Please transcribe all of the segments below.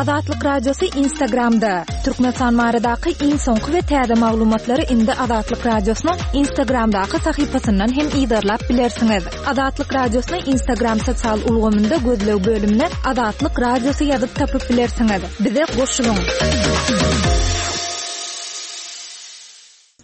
Azatlyk Radiosy Instagramda! Türkmenistan baradaky iň soňky we täze maglumatlary indi Azatlyk Radiosynyň Instagramdaky sahypasyndan hem yzarlap bilersiňiz. Azatlyk Radiosyny Instagram sosial ulgamynda gözleg bölümine Azatlyk Radiosy ýazyp tapyp bilersiňiz. Bize goşulyň!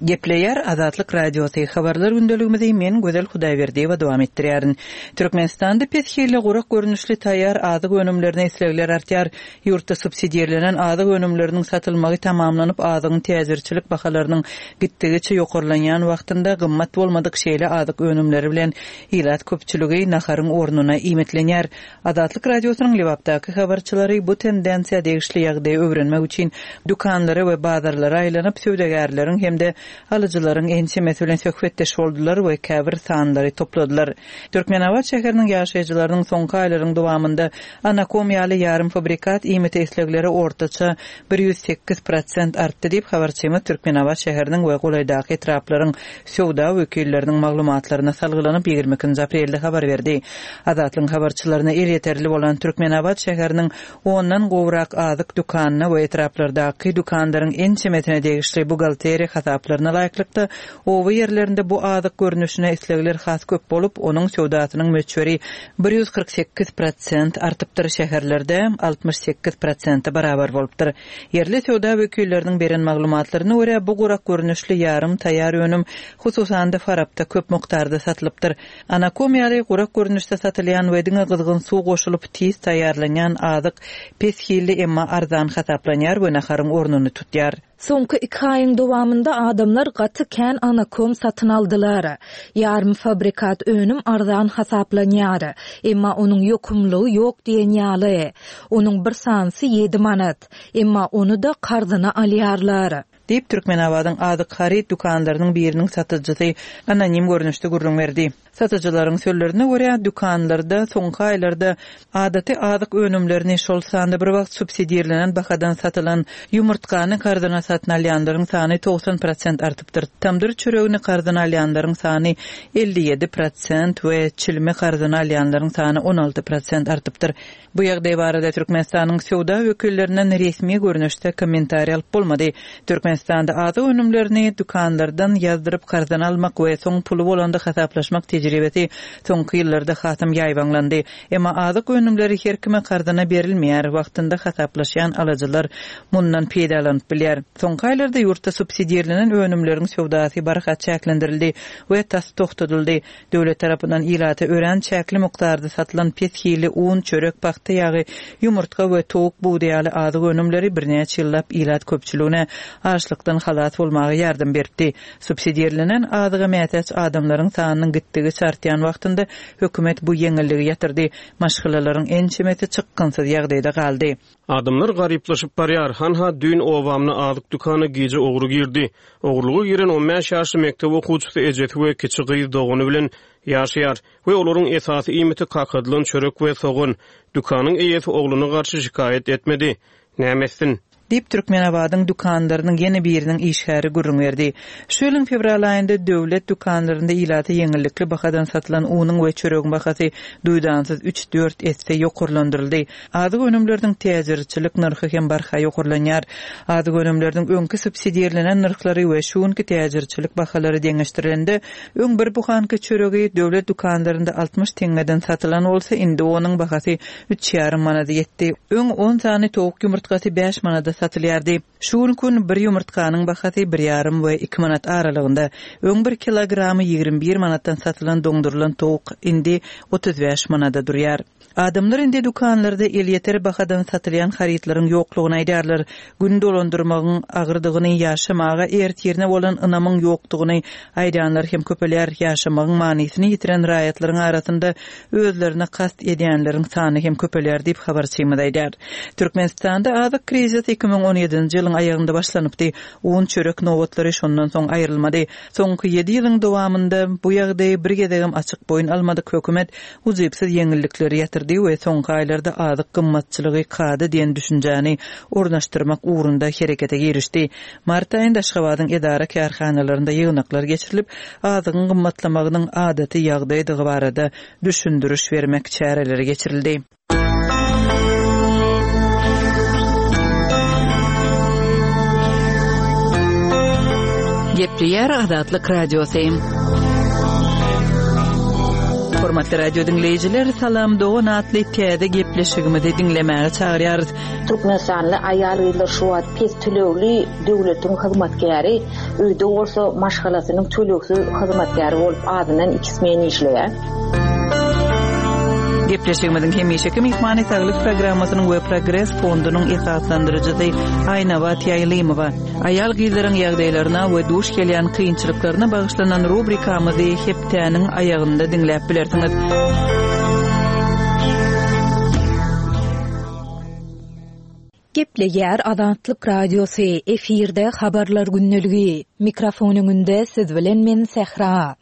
Gepleýär Azatlyk Radiosy, Habarlar gündeligimizi men Gözel Hudaýberdiýewa dowam etdirýärin. Türkmenistanda pes hilli gurak görnüşli taýýar azyk önümlerine islegler artýar. Ýurtda subsidirlenen azyk önümleriniň satylmagy tamamlanyp, azygyň täjirçilik bahalarynyň gitdigiçe ýokarlanýan wagtynda gymmat bolmadyk şeýle azyk önümleri bilen ilat köpçüligi naharyň ornuna iýmitlenýär. Azatlyk Radiosynyň Lebapdaky habarçylary bu tendensiýa degişli ýagdaýy öwrenmek üçin dükanlara we bazarlara aýlanyp, söwdagärleriň hem-de alyjylaryň ençemesi bilen söhbetdeş boldular we käbir sanlary topladylar. Türkmenabat şäheriniň ýaşaýjylarynyň soňky aýlaryň dowamynda anakom ýaly ýarym fabrikat iýmite islegleri ortaça 108 prosent artdy diýip, habarçymyz Türkmenabat şäheriniň we golaýdaky etraplaryň söwda wekilleriniň maglumatlaryna salgylanyp, 22-nji aprelde habar berdi. Azatlygyň habarçylaryna elýeterli bolan Türkmenabat şäheriniň ondan gowrak azyk dükanyna we etraplardaky dükanlaryň ençemesine degişli buhgalteriýa hasaplaryna laýyklykda, oba ýerlerinde bu azyk görnüşine islegler has köp bolup, onuň söwdasynyň möçberi 148 prosent artypdyr, şäherlerde 68 prosente barabar bolupdyr. Ýerli söwda wekilleriniň beren maglumatlaryna görä, bu gurak görnüşli ýarym taýýar önüm, hususan-da, Farapda köp mukdarda satylypdyr. Anakom ýaly gurak görnüşde satylýan we diňe gyzgyn suw goşulyp tiz taýýarlanýan azyk pes hilli, emma arzan hasaplanýar we naharyň ornuny tutýar. Soňky iki aýyň dowamynda adamlar gaty kän anakom satyn aldylar. Ýarym fabrikat önüm arzan hasaplanýar. Emma onuň ýokumlylygy ýok diýen ýaly. Onuň bir sanysy ýedi manat. Emma ony-da karzyna alýarlar. Diýip, Türkmenabadyň azyk haryt dükanlarynyň biriniň satyjysy anonim görnüşde gürrüň berdi. Satyjylaryň sözlerine görä, dükanlarda soňky aýlarda adaty azyk önümlerini, şol sanda bir wagt subsidirlenen bahadan satylan ýumurtgany karzyna satyn alýanlaryň sany 90 prosent artypdyr, tamdyr çöregini karzyna alýanlaryň sany 57 prosent we çilimi karzyna alýanlaryň sany 16 prosent artypdyr. Bu ýagdaý barada Türkmenistanyň söwda wekillerinden resmi görnüşde kommentariý alyp bolmady. Türkmenistanda azyk önümlerini dükanlardan ýazdyryp karzyna almak we soň puly bolanda hasaplaşmak tejribesi soňky ýyllarda hasam ýaýbaňlandy. Emma azyk önümleri her kime karzyna berilmeýär, wagtynda hasaplaşýan alyjylar mundan peýdalanyp bilýär. Soňky aýlarda ýurtda subsidirlenen önümleriň söwdasy barha çäklendirildi we tas togtadyldy. Döwlet tarapyndan ilata örän çäkli mukdarda satylan pes hilli un, çörek, pagta ýagy, ýumurtga we towuk budy ýaly azyk önümleri birnäçe ýyllap ilat köpçüligine açlykdan halas bolmaga ýardam beripdi. Subsidirlenen azyga mätäç adamlaryň sanynyň gitdigiçe artýan wagtynda hökümet bu ýeňilligi ýatyrdy. Maşgalalaryň ençemesi çykgynsyz ýagdaýda galdy. Adamlar garyplaşyp barýar. Hanha, düýn obamda azyk dükana gije ogry girdi. Ogurlyga giren on bäş ýaşly mekdep okuwçysy ejesi we kiçi gyz dogany bilen ýaşaýar we olaryň esasy iýmiti kakadylan çörek we sogan. Dükanyň eýesi ogluna garşy şikaýat etmedi. Näme etsin? Diýip, Türkmenabadyň dükanlarynyň ýene biriniň işgäri gürrüň berdi. Şu ýylyň fewral aýynda döwlet dükanlarynda ilata ýeňillikli bahadan satylan unuň we çöregiň bahasy duýdansyz üç-dört esse ýokarlandyryldy. Azyk önümleriniň täjirçilik nyrhy hem barha ýokarlanýar. Azyk önümleriniň öňki subsidirlenen nyrhlary we şu günki täjirçilik bahalary deňeşdirilende, öň bir buhanka çöregi döwlet dükanlarynda 60 teňňeden satylan bolsa, indi onuň bahasy üç ýarym manada ýetdi. Öň on sany towuk ýumurtgasy bäş manada satylýardy. Şu günki gün bir ýumurtganyň bahasy bir ýarym we iki manat aralygynda. Öň bir kilogramy 21 manatdan satylan doňdurylan towuk indi 35 manada durýar. Adamlar indi dükanlarda elýeter bahadan satylýan harytlaryň ýoklugyny aýdýarlar. Gün dolandyrmagyň agyrdygyny, ýaşamaga ertirine bolan ynamyň ýokdugyny aýdýanlar hem köpelýär. Ýaşamagyň manysyny ýitiren raýatlaryň arasynda özlerine kast edýänleriň sany hem köpelýär diýip, habarçymyz aýdýar. Türkmenistanda azyk krizisi 2017-nji ýylyň aýagynda başlanypdy. Un, çörek nobatlary şondan soň aýrylmady. Soňky ýedi ýylyň dowamynda bu ýagdaýy bir gezegem açyk boýun almadyk hökümet ujypsyz ýeňillikleri ýatyrdy we soňky aýlarda azyk gymmatçylygy kada diýen düşünjäni ornaşdyrmak ugrunda herekete girişdi. Mart aýynda Aşgabadyň edara-kärhanalarynda ýygnaklar geçirilip, azygyň gymmatlamagynyň adaty ýagdaýdygy barada düşündiriş bermek çäreleri geçirildi. Gepleýär Azatlyk Radiosy. Hormatly radio diňleýjiler, Salam dogan atly täze gepleşigimizi diňlemäge çagyrýarys. Türkmenistanly aýal-gyzlar şu wagt pes tölegli döwletiň hyzmatkäri, öýde bolsa maşgalasynyň tölegsiz hyzmatkäri bolup azyndan iki smen işleýär. Gepleşigimiziň hemişeki myhmany Saglyk programmasynyň we Progres fondunyň esaslandyryjysy Aýnabat Ýaýlymowa. Aýal-gyzlaryň ýagdaýlaryna we duş gelýän kynçylyklaryna bagyşlanan rubrikamyzy hepdäniň aýagynda diňläp bilersiňiz. Gepleýär Azatlyk Radiosy, efirde Habarlar gündeligi. Mikrofon öňünde siz bilen men Sähra.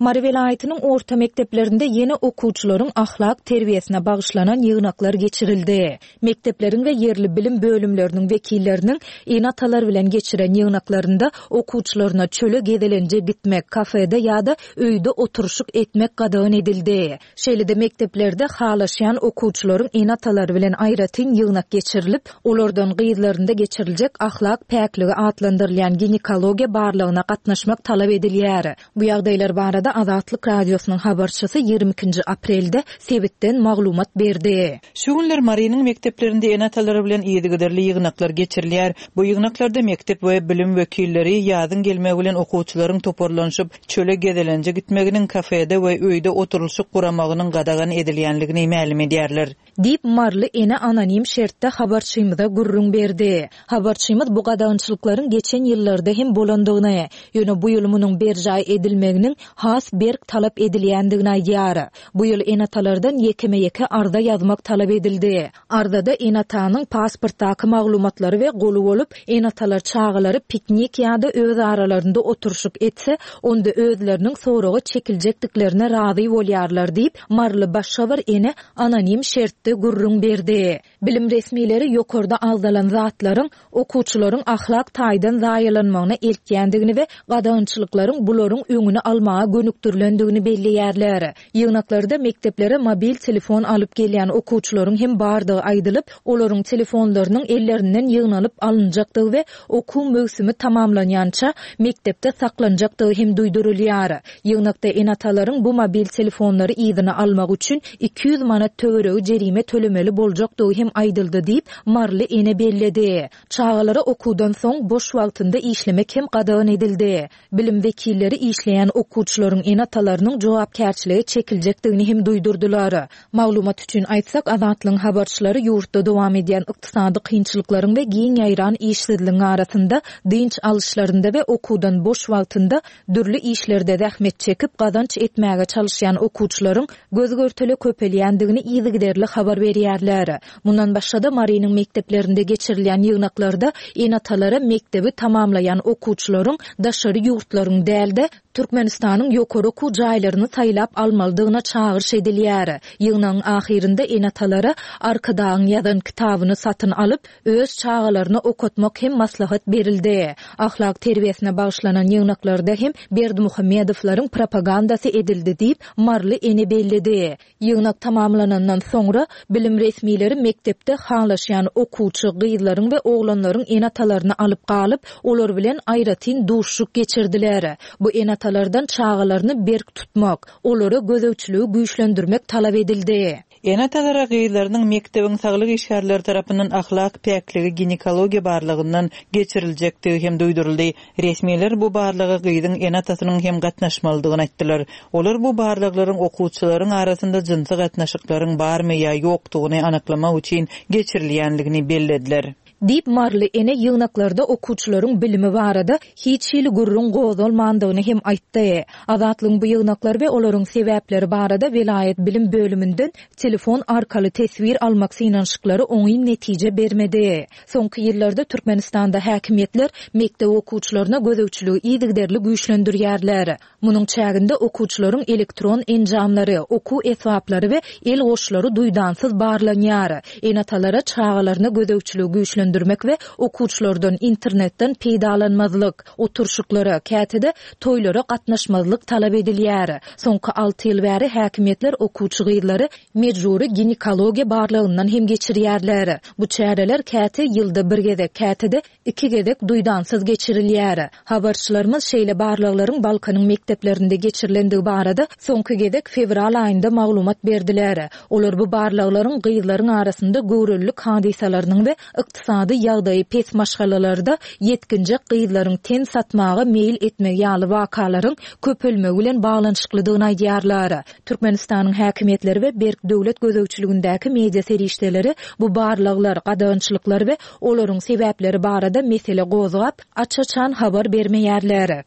Mary welaýatynyň orta mekdeplerinde ýene okuwçylaryň ahlak terbiýesine bagyşlanan ýygnaklar geçirildi. Mekdepleriň we ýerli bilim bölümleriniň wekilleriniň ene-atalar bilen geçiren ýygnaklarynda okuwçylaryna çöle gezelenje gitmek, kafede ýa-da öýde oturyşyk etmek gadagan edildi. Şeýle-de mekdeplerde halaşýan okuwçylaryň ene-atalary bilen aýratyn ýygnak geçirilip, olardan gyzlarynda geçiriljek ahlak päkligi atlandyrylýan ginekologiýa barlagyna gatnaşmak talap edilýär. Bu ýagdaýlar barada Azatlyk Radiosynyň habarçysy 22-nji aprelde sebitden maglumat berdi. Şu günler Marynyň mekdeplerinde ene-atalary bilen yzygiderli ýygnaklar geçirilýär. Bu ýygnaklarda mekdep we bilim wekilleri ýazyň gelmegi bilen okuwçylaryň toparlanyşyp, çöle gezelenje gitmeginiň, kafede we öýde oturylyşyk guramagynyň gadagan edilýänligini mälim edýärler. Diýip, maryly ene anonim şertde habarçymyza gürrüň berdi. Habarçymyz bu gadagançylyklaryň geçen ýyllarda hem bolandygyny, ýöne bu ýyl munuň berjaý edilmeginiň has berk talap edilýändigini aýdýar. Bu ýyl ene-atalardan ýekeme-ýeke arza ýazmak talap edildi. Arzada ene-atanyň pasportdaky maglumatlary we goly bolup, ene-atalar çagalary piknik ýa-da öz aralarynda oturyşyk etse, onda özleriniň soraga çekiljekdiklerine razy bolýarlar diýip, maryly başga bir ene anonim şertde gürrüň berdi. Bilim resmileri ýokarda agzalan zatlaryň okuwçylaryň ahlak taýdan zaýalanmagyna eltýändigini we gadagançylyklaryň bularyň öňüni almaga gönükdirilendigini belleýärler. Ýygnaklarda mekdeplere mobil telefon alyp gelýän okuwçylaryň hem bardygy aýdylyp, olaryň telefonlarynyň ellerinden ýygnalyp alynjakdygy we okuw möwsümi tamamlanýança mekdepde saklanjakdygy hem duýdurylýar. Ýygnakda ene-atalaryň bu mobil telefonlary yzyna almak üçin 200 manat töweregi jerime tölemeli boljakdygy hem aýdyldy diýip, maryly ene belledi. Çagalara okuwdan soň boş wagtynda işlemek hem gadagan edildi. Bilim wekilleri işleýän okuwçylaryň ene-atalarynyň jogapkärçilige çekiljekdigini hem duýdurdylar. Maglumat üçin aýtsak, Azatlygyň habarçylary ýurtda dowam edýän ykdysady kynçylyklaryň we giň ýaýran işsizligiň arasynda dynç alyşlarynda we okuwdan boş wagtynda dürli işlerde zähmet çekip gazanç etmäge çalyşýan okuwçylaryň göz-görtele köpelýändigini yzygiderli habar berýärler. Mundan başga-da, Marynyň mekdeplerinde geçirilýän ýygnaklarda ene-atalara mekdebi tamamlaýan okuwçylaryň daşary ýurtlaryň däl-de, Türkmenistanyň ýokary okuw jaýlaryny saýlap almalydygyna çagyryş edilýär. Ýygnagyň ahyrynda ene-atalara Arkadagyň ýazan kitabyny satyn alyp, öz çagalaryna okatmak hem maslahat berildi. Ahlak terbiýesine bagyşlanan ýygnaklarda hem Berdimuhamedowlaryň propagandasy edildi diýip, maryly ene belledi. Ýygnak tamamlanandan soňra, bilim resmileri mekdepde halaşýan okuwçy gyzlaryň we oglanlaryň ene-atalaryny alyp galyp, olar bilen aýratyn duşuşyk geçirdiler. Bu ene-atalardan çagalaryny berk tutmak, olara gözegçiligi güýçlendirmek talap edildi. Ene-atalara gyzlarynyň mekdebiň saglyk işgärleri tarapyndan ahlak päkligi ginekologiýa barlagyndan geçiriljekdigi hem duýduryldy. Resmiler bu barlaga gyzyň ene-atasynyň hem gatnaşmalydygyny aýtdylar. Olar bu barlaglaryň okuwçylaryň arasynda jynsy gatnaşyklaryň barmy ýa ýokdugyny anyklamak üçin geçirilýänligini bellediler. Diýip, maryly ene ýygnaklarda okuwçylaryň bilimi barada hiç hili gürrüň gozgalmandygyny hem aýtdy. Azatlygyň bu ýygnaklar we olaryň sebäpleri barada welaýat bilim bölüminden telefon arkaly teswir almak synanyşyklary oňyn netije bermedi. Soňky ýyllarda Türkmenistanda häkimiýetler mekdep okuwçylaryna gözegçiligi yzygiderli güýçlendirýärler. Munuň çäginde okuwçylaryň elektron enjamlary, okuw esbaplary we el goşlary duýdansyz barlanýar. Ene-atalara çagalaryna gözegçiligi güýçlendirmek. söndürmek we okuwçylardan internetden peýdalanmazlyk, oturyşyklara, käte-de toýlara gatnaşmazlyk talap edilýär. Soňky alty ýyl bäri häkimiýetler okuwçy gyzlary mejbury ginekologiýa barlagyndan hem geçirýärler. Bu çäreler käte ýylda bir gezek, käte-de iki gezek duýdansyz geçirilýär. Habarçylarymyz şeýle barlaglaryň Balkanyň mekdeplerinde geçirilendigi barada soňky gezek fewral aýynda maglumat berdiler. Olar bu barlaglaryň gyzlaryň arasynda göwrelilik hadysalarynyň we ykdysady ýagdaýy pes maşgalalarda ýetginjek gyzlaryň ten satmaga meýil etmegi ýaly wakalaryň köpelmegi bilen baglanyşyklydygyny aýdýarlar. Türkmenistanyň häkimiýetleri we berk döwlet gözegçiligindäki media serişdeleri bu barlaglar, gadagançylyklar we olaryň sebäpleri barada mesele gozgap, aç-açan habar bermeýärler.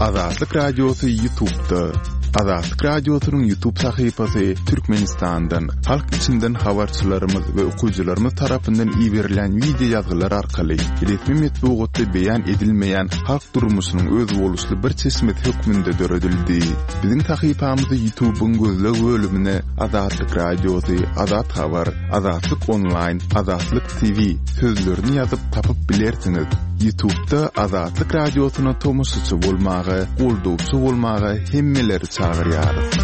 Azatlyk Radiosy Ýutubda. Azatlyk Radiosynyň Ýutub sahypasy Türkmenistandan, halk içinden habarçylarymyz we okyjylarymyz tarapyndan iberilen wideo ýazgylar arkaly resmi metbugatda beýan edilmeýän halk durmuşynyň özboluşly bir çeşmesi hökmünde döredildi. Biziň sahypamyzy Ýutubyň gözleg bölümine Azatlyk Radiosy, Azat Habar, Azatlyk Onlaýn, Azatlyk TV sözlerini ýazyp tapyp bilersiňiz. Ýutubda Azatlyk Radiosyna tomaşaçy bolmaga, goldawçy bolmaga hemmeleri çagyrýarys.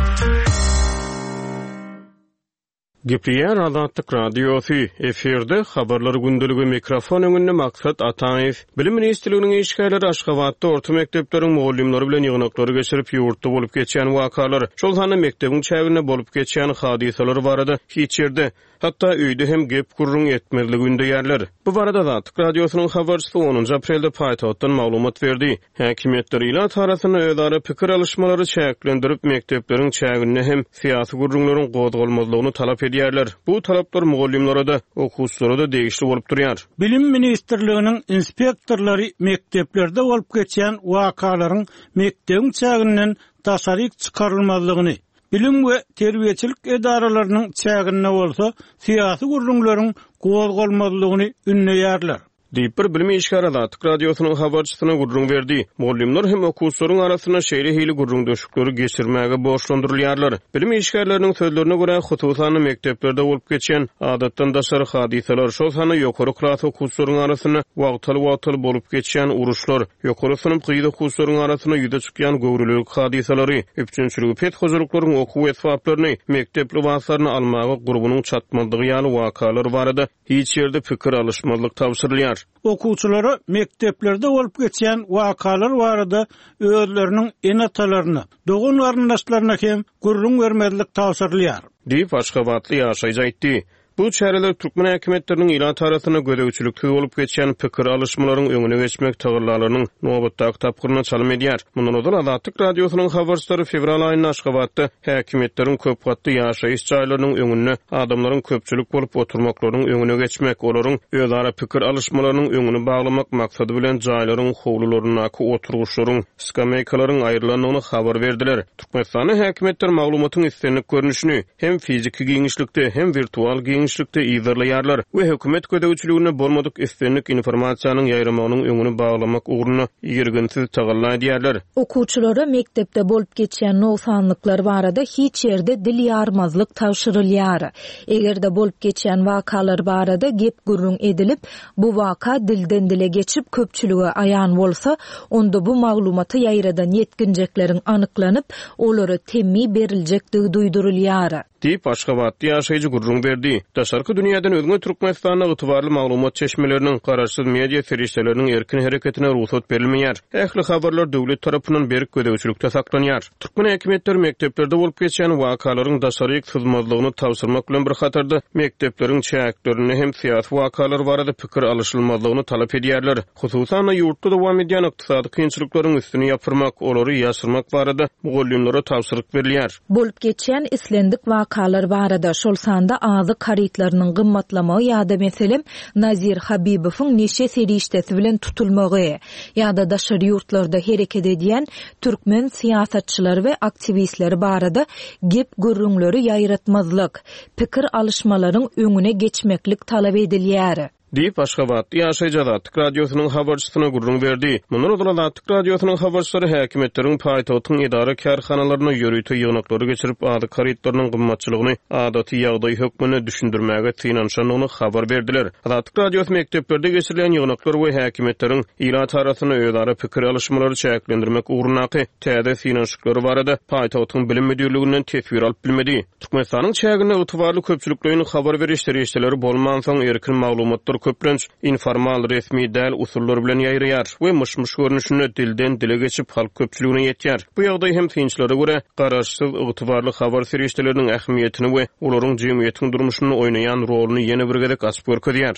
Gepleýär Azatlyk Radiosy, efirde Habarlar gündeligi, mikrofon öňünde Maksat Ataýew. Bilim ministrliginiň işgärleri Aşgabatda orta mekdepleriň mugallymlary bilen ýygnaklary geçirip, ýurtda bolup geçýän wakalar, şol sanda mekdebiň çäginde bolup geçýän hadysalar barada hiç ýerde, hatda öýde hem gep-gürrüň etmezligi ündeýärler. Bu barada Azatlyk Radiosynyň habarçysy onunjy aprelde paýtagtdan maglumat berdi. Häkimiýetler ilat arasynda özara pikir alyşmalary çäklendirip, mekdepleriň çäginde hem syýasy gürrüňleriň gozgalmazlygyny talap edýärler. Bu talaplar mugallymlara-da, okuwçylara-da degişli bolup durýar. Bilim ministrliginiň inspektorlary mekdeplerde bolup geçýän wakalaryň mekdebiň çäginden daşaryk çykarylmazlygyny, bilim we terbiýeçilik edaralarynyň çäginde bolsa syýasy gürrüňleriň gozgalmazlygyny ündeýärler. Diýip, bir bilim işgäri Azatlyk Radiosynyň habarçysyna gürrüň berdi. Mugallymlar hem okuwçylaryň arasynda şeýle hili gürrüňdeşlikleri geçirmäge borçlandyrylýarlar. Bilim işgärleriniň sözlerine görä, hususan-da, mekdeplerde bolup geçýän adatdan daşary hadysalar, şol sanda ýokary klas okuwçylaryň arasynda wagtal-wagtal bolup geçýän uruşlar, ýokary synp gyz okuwçylaryň arasynda ýüze çykýan göwrelilik hadysalary, üpjünçiligi pes hojalyklaryň okuw esbaplaryny, mekdep lybaslaryny almaga gurbunyň çatmazlygy ýaly wakalar barada Hiç ýerde pikir alyşmazlyk tabşyrylýar. Okuwçylara mekdeplerde bolup geçýän wakalar barada özleriniň ene-atalaryna, dogan-garyndaşlaryna hem gürrüň bermezlik tabşyrylýar. Diýip, aşgabatly ýaşaýjy aýtdy. Bu çäreler türkmen häkimiýetleriniň ilat arasynda gözegçiliksiz bolup geçýän pikir alyşmalaryň öňüne geçmek tagallalarynyň nobatdaky tapgyryna çalym edýär. Mundan ozal Azatlyk Radiosynyň habarçylary fewral aýynda Aşgabatda häkimiýetleriň köp gatly ýaşaýyş jaýlarynyň öňünde adamlaryň köpçülik bolup oturmaklarynyň öňüne geçmek, olaryň özara pikir alyşmalarynyň öňüni baglamak maksady bilen jaýlaryň howlularyndaky oturgyçlaryň, skameýkalaryň aýrylandygyny habar berdiler. Türkmenistanda häkimiýetler maglumatyň islendik görnüşini, hem fiziki giňişlikde, hem wirtual giňişlikde yzarlaýarlar we hökümet gözegçiliginde bolmadyk islendik informasiýanyň ýaýramagynyň öňüni baglamak ugrunda irginsiz tagalla edýärler. Okuwçylara mekdepde bolup geçýän nogsanlyklar barada hiç ýerde dil ýarmazlyk tabşyrylýar. Eger-de bolup geçýän wakalar barada gep-gürrüň edilip, bu waka dilden-dile geçip köpçülige aýan bolsa, onda bu maglumaty ýaýradan ýetginjekleriň anyklanyp, olara temmi beriljekdigi duýdurylýar. Diýip, aşgabatly ýaşaýjy gürrüň berdi. Daşarky dünýäden özňe Türkmenistanda ygtybarly maglumat çeşmeleriniň, garaşsyz media serişdeleriniň erkin hereketine rugsat berilmeýär. Ähli habarlar döwlet tarapyndan berk gözegçilikde saklanýar. Türkmen häkimiýetleri mekdeplerde bolup geçýän wakalaryň daşaryk syzmazlygyny tabşyrmak bilen bir hatarda, mekdepleriň çäklerinde hem syýasy wakalar barada pikir alyşylmazlygyny talap edýärler. Hususan-da, ýurtda dowam edýän ykdysady kynçylyklaryň üstüni ýapyrmak, olary ýaşyrmak barada mugallymlara tabşyryk berilýär. Bolup geçýän islendik wakalar barada, şol sanda azyk harytlarynyň gymmatlamagy ýa-da, meselem, Nazir Habibowyň neşe serişdesi bilen tutulmagy, ýa-da daşary ýurtlarda hereket edýän türkmen syýasatçylary we aktiwistleri barada gep-gürrüňleri ýaýratmazlyk, pikir alyşmalaryň öňüne geçmeklik talap edilýär. Diýip, aşgabatly ýaşaýjy Azatlyk Radiosynyň habarçysyna gürrüň berdi. Mundan ozal Azatlyk Radiosynyň habarçylary häkimiýetleriň paýtagtyň edara-kärhanalarynda ýörite ýygnaklary geçirip, azyk harytlarynyň gymmatçylygyny adaty ýagdaý hökmünde düşündirmäge synanyşandygyny habar berdiler. Azatlyk Radiosy mekdeplerde geçirilýän ýygnaklar we häkimiýetleriň ilat arasynda özara pikir alyşmalary çäklendirmek ugrundaky täze synanyşyklary barada paýtagtyň bilim müdirliginden teswir alyp bilmedi. Türkmenistanyň çäginde ygtybarly köpçülikleýin habar beriş serişdeleri bolmansoň, erkin maglumatlar köplenç informal, resmi däl usullar bilen ýaýraýar we myş-myş görnüşinde dilden-dile geçip, halk köpçüligine ýetýär. Bu ýagdaý hem synçylara görä, garaşsyz, ygtybarly habar serişdeleriniň ähmiýetini we olaryň jemgyýetiň durmuşynda oýnaýan roluny ýene bir gezek açyp görkezýär.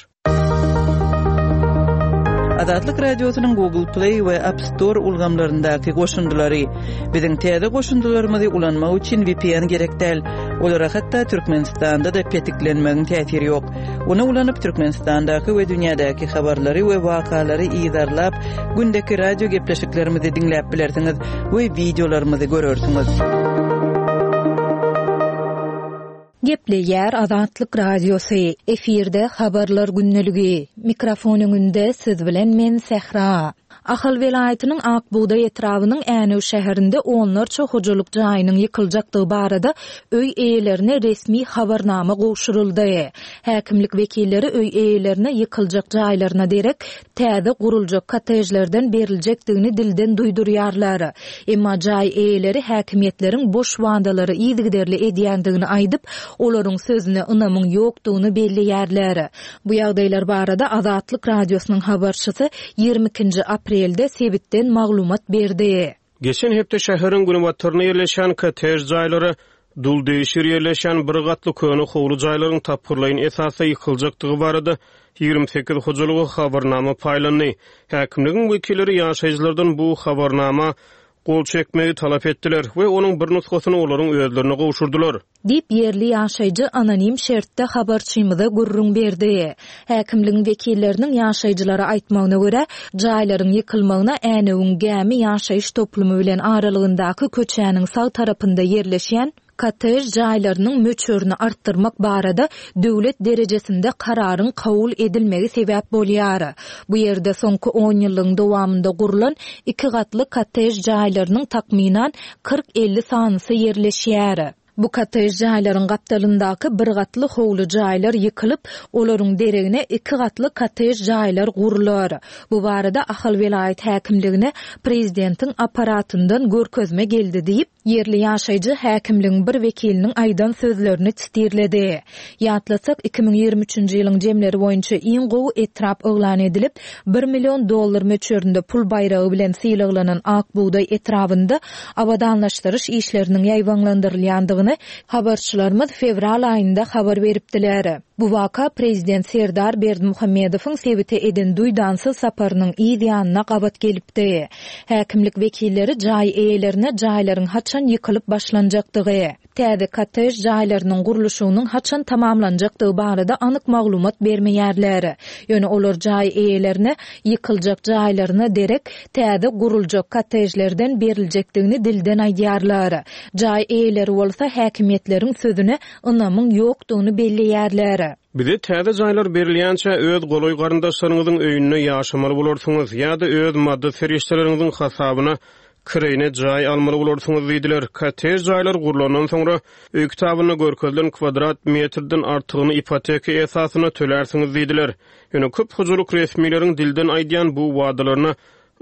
Azatlyk Radiosynyň Google Play we App Store ulgamlaryndaky goşundylary. Biziň täze goşundylarymyzy ulanmak üçin VPN gerek däl. Olara hatda Türkmenistanda-da petiklenmegiň täsiri ýok. Ony ulanyp Türkmenistandaky we dünýädäki habarlary we wakalary yzarlap, gündeki radio gepleşiklerimizi diňläp bilersiňiz we wideolarymyzy görersiňiz. Gepleýär Azatlyk Radiosy, efirde Habarlar gündeligi. Mikrofon öňünde siz bilen men Sähra. Ahal welaýatynyň Ak bugdaý etrabynyň Änew şäherinde onlarça hojalyk jaýynyň ýykyljakdygy barada öý eýelerine resmi habarnama gowşuryldy. Häkimlik wekilleri öý eýelerine ýykyljak jaýlaryna derek täze guruljak kottejlerden beriljekdigini dilden duýdurýarlar. Emma jaý eýeleri häkimiýetleriň boş wadalary yzygiderli edýändigini aýdyp, olaryň sözüne ynamyň ýokdugyny belleýärler. Bu ýagdaýlar barada Azatlyk Radiosynyň habarçysy 22-nji aprelde sebitden maglumat berdi. Geçen hepde şäheriň günbatarynda ýerleşýän kottej jaýlara duldegşir ýerleşýän bir gatly köne howly jaýlaryň tapgyrlaýyn esasda ýykyljakdygy barada 28 hojalyga habarnama paýlandy. Häkimligiň wekilleri ýaşaýjylardan bu habarnama gol çekmegi talap etdiler we onuň bir nusgasyny olaryň özlerine gowşurdylar. Diýip, ýerli ýaşaýjy anonim şertde habarçymyza gürrüň berdi. Häkimligiň wekilleriniň ýaşaýjylara aýtmagyna görä, jaýlaryň ýykylmagyna Änewiň Gämi ýaşaýyş toplumy bilen aralygyndaky köçäniň sag tarapynda ýerleşýän kottej jaýlarynyň möçberini artdyrmak barada döwlet derejesinde kararyň kabul edilmegi sebäp bolýar. Bu ýerde soňky onýyllygyň dowamynda gurlan iki gatly kottej jaýlarynyň takmynan 40-50 sanysy ýerleşýär. Bu kottej jaýlaryň gapdalyndaky bir gatly howly jaýlar ýykylyp, olaryň deregine iki gatly kottej jaýlar gurlar. Bu barada Ahal welaýat häkimligine prezidentiň apparatyndan görkezme geldi diýip, ýerli ýaşaýjy häkimligiň bir wekiliniň aýdan sözlerini sitirledi. Ýatlatsak, 2023-nji ýylyň jemleri boýunça iň gowy etrap yglan edilip, bir million dollar möçberinde pul baýragy bilen sylaglanan Ak bugdaý etrabynda abadanlaşdyryş işleriniň ýaýbaňlandyrylýandygyny habarçylarymyz fewral aýynda habar beripdiler. Bu waka prezident Serdar Berdimuhamedowyň sebite eden duýdansyz saparynyň yz ýanyna gabat gelipdi. Häkimlik wekilleri jaý eýelerine jaýlaryň haçan ýykylyp başlanjakdygy, Täze kottej jaýlarynyň gurluşygynyň haçan tamamlanjakdygy barada anyk maglumat bermeýärler. Ýöne olar jaý eýelerine ýykyljak jaýlaryna derek täze guruljak kottejlerden beriljekdigini dilden aýdýarlar. Jaý eýeleri bolsa häkimiýetleriň sözüne ynamyň ýokdugyny belleýärler. Bize täze jaýlar berilýänçä öz golaý garyndaşlaryňyzyň öýünde ýaşamaly bolarsyňyz ýa-da öz maddy serişdeleriňiziň hasabyna Kireýine jaý almaly bolarsyňyz diýdiler. Kottej jaýlar gurlandan soňra, öý kitabynda görkezilen kwadrat metrden artygyny ipoteka esasynda tölärsiňiz diýdiler. Ýöne köp hojalyk resmileriň dilden aýdýan bu wadalaryna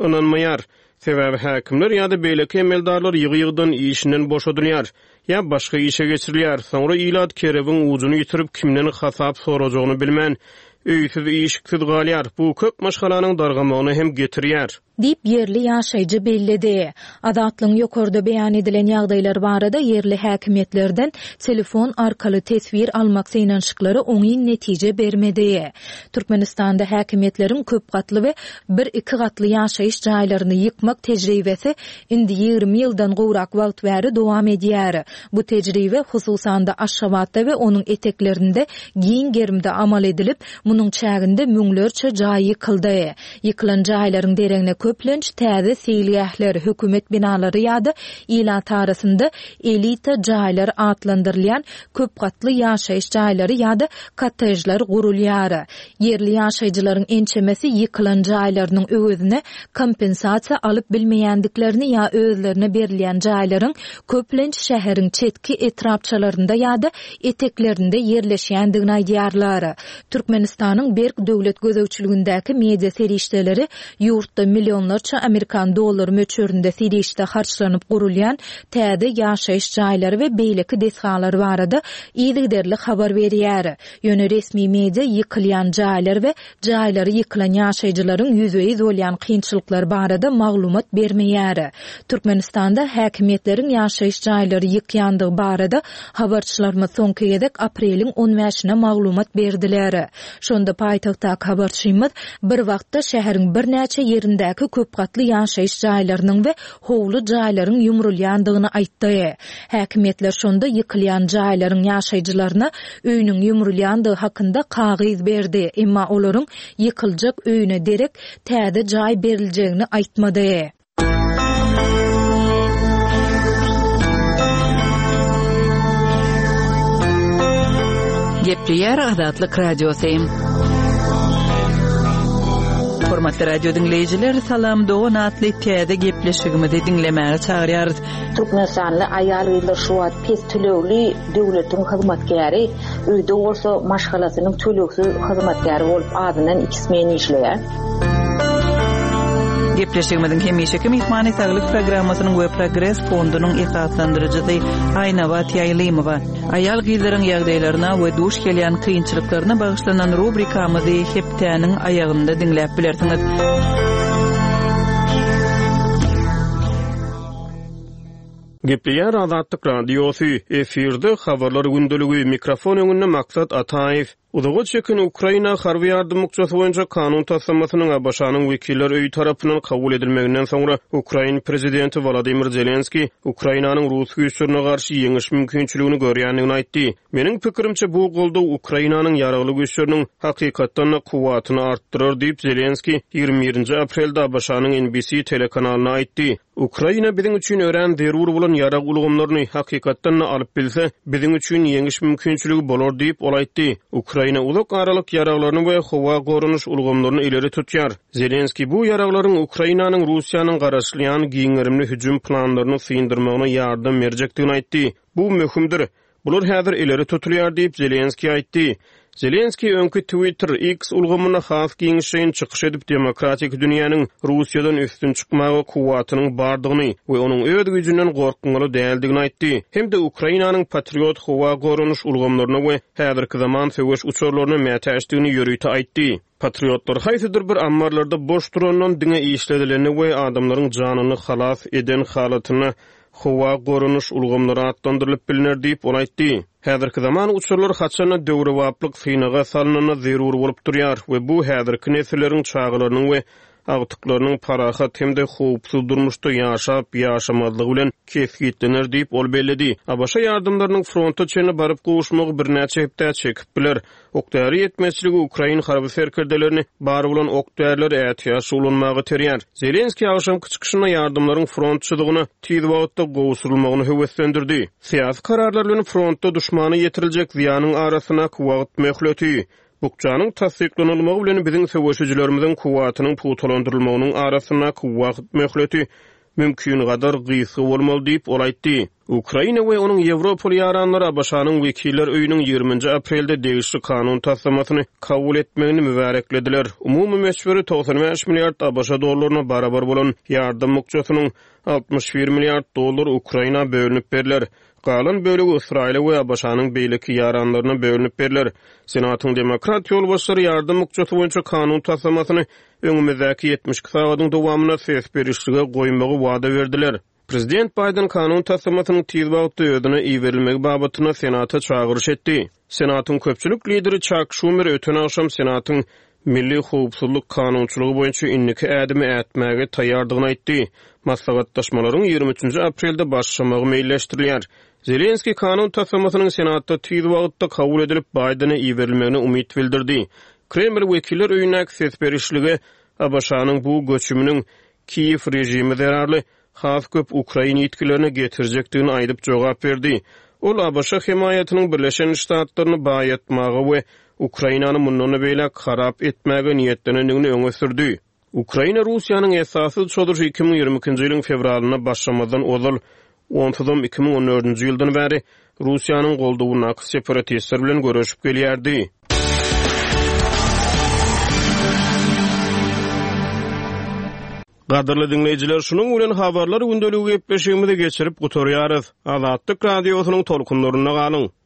ynanmaýar. Sebäbi häkimler ýa-da beýleki emeldarlar ýygy-ýygydan işinden boşadylýar ýa başga işe geçirilýär. Soňra ilat kerebiň ujuny ýitirip, kimden hasap sorajagyny bilmän, öýsüz-işiksiz galýar. Bu köp maşgalanyň dargamagyna hem getirýär. Diýip, ýerli ýaşaýjy belledi. Azatlygyň ýokarda beýan edilen ýagdaýlar barada ýerli häkimiýetlerden telefon arkaly teswir almak synanyşyklary oňyn netije bermedi. Türkmenistanda häkimiýetleriň köp gatly we bir-iki gatly ýaşaýyş jaýlaryny ýykmak tejribesi indi 20 ýyldan gowrak wagt bäri dowam edýär. Bu tejribe, hususan-da, Aşgabatda we onuň eteklerinde giň gerimde amal edilip, munuň çäginde müňlerçe jaý ýykyldy. Ýykylan jaýlaryň deregine. köplenç täze seýilgähler, hökümet binalary ýa-da ilat arasynda elita jaýlar atlandyrylýan köp gatly ýaşaýyş jaýlary ýa-da kottejler gurulýar. Ýerli ýaşaýjylaryň ençemesi ýykylan jaýlarynyň öwezine kompensasiýa alyp bilmeýändiklerini ýa özlerine berilýän jaýlaryň köplenç şäheriň çetki etrapçalarynda ýa-da eteklerinde ýerleşýändigini aýdýarlar. Türkmenistanyň berk döwlet gözegçiligindäki media serişdeleri ýurtda millionlarça amerikan dollary möçberinde serişde harçlanyp gurulýan täze ýaşaýyş jaýlary we beýleki desgalar barada yzygiderli habar berýär. Ýöne resmi media ýykylýan jaýlar we jaýlary ýykylan ýaşaýjylaryň ýüzbe-ýüz bolýan kynçylyklary barada maglumat bermeýär. Türkmenistanda häkimiýetleriň ýaşaýyş jaýlary ýykýandygy barada habarçylarymyz soňky gezek apreliň on bäşine maglumat berdiler. Şonda paýtagtdaky habarçymyz bir wagtda şäheriň birnäçe ýerindäki köpgatly ýaşaýyş jaýlarynyň we howly jaýlaryň ýumrulýandygyny aýtdy. Häkimiýetler şonda ýykylýan jaýlaryň ýaşaýjylaryna öýüniň ýumrulýandygy hakynda kagyz berdi, emma olaryň ýykyljak öýüne derek täze jaý beriljegini aýtmady. Gepleýär Azatlyk Radiosy. Hormatly radio diňleýjiler, Salam dogan atly täze gepleşigimizi diňlemäge çagyrýarys. Türkmenistanly aýal-gyzlar şu wagt pes tölegli döwletiň hyzmatkäri, öýde bolsa maşgalasynyň tölegsiz hyzmatkäri bolup azyndan iki smen işleýär. Gepleşigimiziň hemişeki myhmany Saglyk programmasynyň we Progres fondunyň esaslandyryjysy Aýnabat Ýaýlymowa. Aýal-gyzlaryň ýagdaýlaryna we duş gelýän kynçylyklaryna bagyşlanan rubrikamyzy hepdäniň aýagynda diňläp bilersiňiz. Gepleýär Azatlyk Radiosy, efirde Habarlar gündeligi, mikrofon öňünde Maksat Ataýew. Uzaga çeken Ukraina harby ýardam bukjasy boýunça kanun taslamasynyň ABŞ-nyň Wekiller öýi tarapyndan kabul edilmeginden soňra, ukrain prezidenti Wolodymyr Zelenskiý Ukrainanyň rus güýçlerine garşy ýeňiş mümkinçiligini görýändigini aýtdy. Meniň pikirimçe, bu goldaw Ukrainanyň Ýaragly Güýçleriniň hakykatdan-da kuwwatyny artdyrar diýip, Zelenskiý 21-nji aprelde ABŞ-nyň NBC telekanalyna aýtdy. Ukraina biziň üçin örän zerur bolan ýarag ulgamlaryny, hakykatdan-da, alyp bilse, biziň üçin ýeňiş mümkinçiligi bolar diýip, ol aýtdy. Ukraina uzak aralyk ýaraglaryny we howa goranyş ulgamlaryny ileri tutýar. Zelenskiý bu ýaraglaryň Ukrainanyň Russiýanyň garaşylýan giň gerimli hüjüm planlaryny syndyrmagyna ýardam berjekdigini aýtdy. Bu möhümdir. Bular häzir ileri tutulýar diýip, Zelenskiý aýtdy. Zelenskiý öňki Twitter, X, ulgamynda has giňişleýin çykyş edip, demokratik dünýäniň Russiýadan üstün çykmaga kuwwatynyň bardygyny we onuň öz güýjünden gorkmaly däldigini aýtdy hem-de Ukrainanyň Patriot howa goranyş ulgamlaryna we häzirki zaman söweş uçarlaryna mätäçdigini ýörite aýtdy. Patriotlar haýsydyr bir ammarlarda boş durandan diňe işledilende we adamlaryň janyny halas eden halatynda howa goranyş ulgamlary atlandyrylyp bilner diýip, ol aýtdy. Häzirki zaman uçarlar haçan-da döwrebaplyk synaga salnanda zerur bolup durýar we bu häzirki nesilleriň çagalarynyň we agtyklarynyň parahat hem-de howpsuz durmuşda ýaşap-ýaşamazlygy bilen kesgitlener diýip, ol belledi. ABŞ ýardamlarynyň fronta çenli baryp gowuşmagy birnäçe hepdä çekip biler. Ok-däri ýetmezçiligi ukrain harby serkerdelerini bar bolan ok-därileri ätiýaçly ulanmaga iterýär. Zelenskiý agşamky çykyşynda ýardamlaryň front çyzygyna tiz wagtda gowşurylmagyny höweslendirdi. Syýasy kararlar bilen frontda duşmana ýetiriljek zyýanyň arasyndaky wagt möhleti, bukjanyň tassyklanylmagy bilen biziň söweşijilerimiziň kuwwatynyň pugtalandyrylmagynyň arasyndaky wagt möhleti mümkingadar gysga bolmaly diýip, ol aýtdy. Ukraina we onuň ýewropaly ýaranlary ABŞ-nyň Wekiller öýüniň ýigriminji aprelde degişli kanun taslamasyny kabul etmegini mübäreklediler. Umumy möçberi 95 milliard ABŞ dollaryna barabar bolan ýardam bukjasynyň 61 milliard dollary Ukraina bölünip berler. Galan bölegi Ysraýyla we ABŞ-nyň beýleki ýaranlaryna bölünip berler. Senatyň demokrat ýolbaşçylary ýardam bukjasy boýunça kanun taslamasyny öňümizdäki 72 sagadyň dowamynda ses berişlige goýmagy wada berdiler. Prezident Baýden kanun taslamasynyň tiz wagtda özüne iberilmegi babatynda Senata çagyryş etdi. Senatyň köpçülik lideri Çak Şumer öten agşam Senatyň milli howpsuzlyk kanunçylygy boýunça indiki ädimi ätmäge taýýardygyny aýtdy. Maslahatlaşmalaryň 23-nji aprelde başlamagy meýilleşdirilýär. Zelenskiý kanun taslamasynyň Senatda tiz wagtda kabul edilip, Baýdene iberilmegine umyt bildirdi. Kreml Wekiller öýündäki ses berişlige ABŞ-nyň bu göçüminiň. Kiýew režimi zerarly has köp ukrain ýitgilerine getirjekdigini aýdyp jogap berdi. Ol ABŞ hemaýatynyň Birleşen Ştatlaryny baýatmaga we Ukrainany mundan-da beýläk harap etmäge niýetlenendigini öňe sürdi. Ukraina Russiýanyň esassyz çozuşy 2022-nji ýylyň fewralynda başlamazdan ozal, onsuzam 2014-nji ýyldan bäri Russiýanyň goldawyndaky separatistler bilen göreşip gelýärdi. Gadyrly diňleýjiler, şunuň bilen Habarlar gündeligi gepleşigimizi geçirip gutarýarys. Azatlyk Radiosynyň tolkunlarynda galyň!